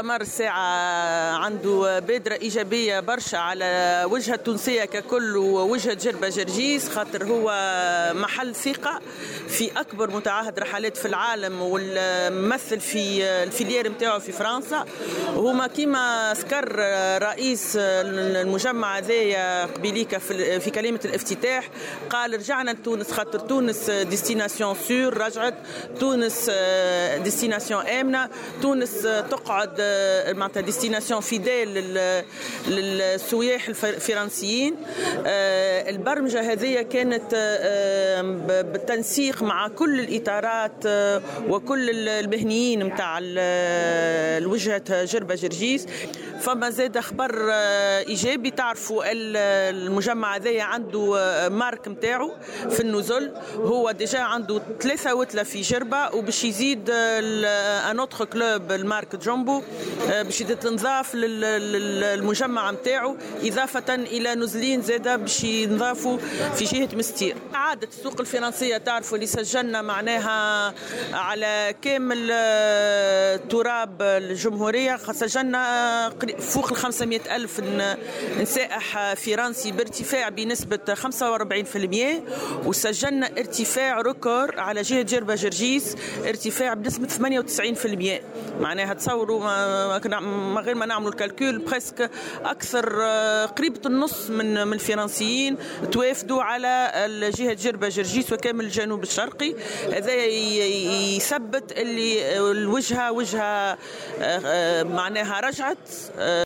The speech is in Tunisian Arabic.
المؤتمر الساعة عنده بادرة إيجابية برشا على وجهة التونسية ككل ووجهة جربة جرجيس، خاطر هو محل ثقة في أكبر متعهد رحلات في العالم والممثل في ال filière نتاعو في فرنسا. وهما كيما ذكر رئيس المجمع هذايا قبيليكا في كلمة الافتتاح، قال رجعنا لتونس خاطر تونس destination sûre، رجعت تونس destination آمنة، تونس تقعد معناتها destination fidèle للسياح الفرنسيين. البرمجة هذه كانت بالتنسيق مع كل الإطارات وكل المهنيين نتاع الوجهة جربة جرجيس. فما زاد خبر إيجابي، تعرفوا المجمع هذايا عنده marque نتاعو في النزل، هو déjà عنده 3 وتلة في جربة وباش يزيد un autre club ال marque جومبو باش تنضاف للمجمع نتاعو، إضافة إلى نزلين زادة باش ينضافوا في جهة مستير. عادة السوق الفرنسية تعرفوا اللي سجلنا معناها على كامل تراب الجمهورية، سجلنا فوق 500 ألف سائح فرنسي بارتفاع بنسبة 45%، وسجلنا ارتفاع record على جهة جربة جرجيس ارتفاع بنسبة 98%. معناها تصوروا ما غير ما نعملوا ال calcul presque أكثر قريبة النص من الفرنسيين توافدوا على جهة جربة جرجيس وكامل الجنوب الشرقي. هذا يثبت اللي الوجهة وجهة معناها رجعت.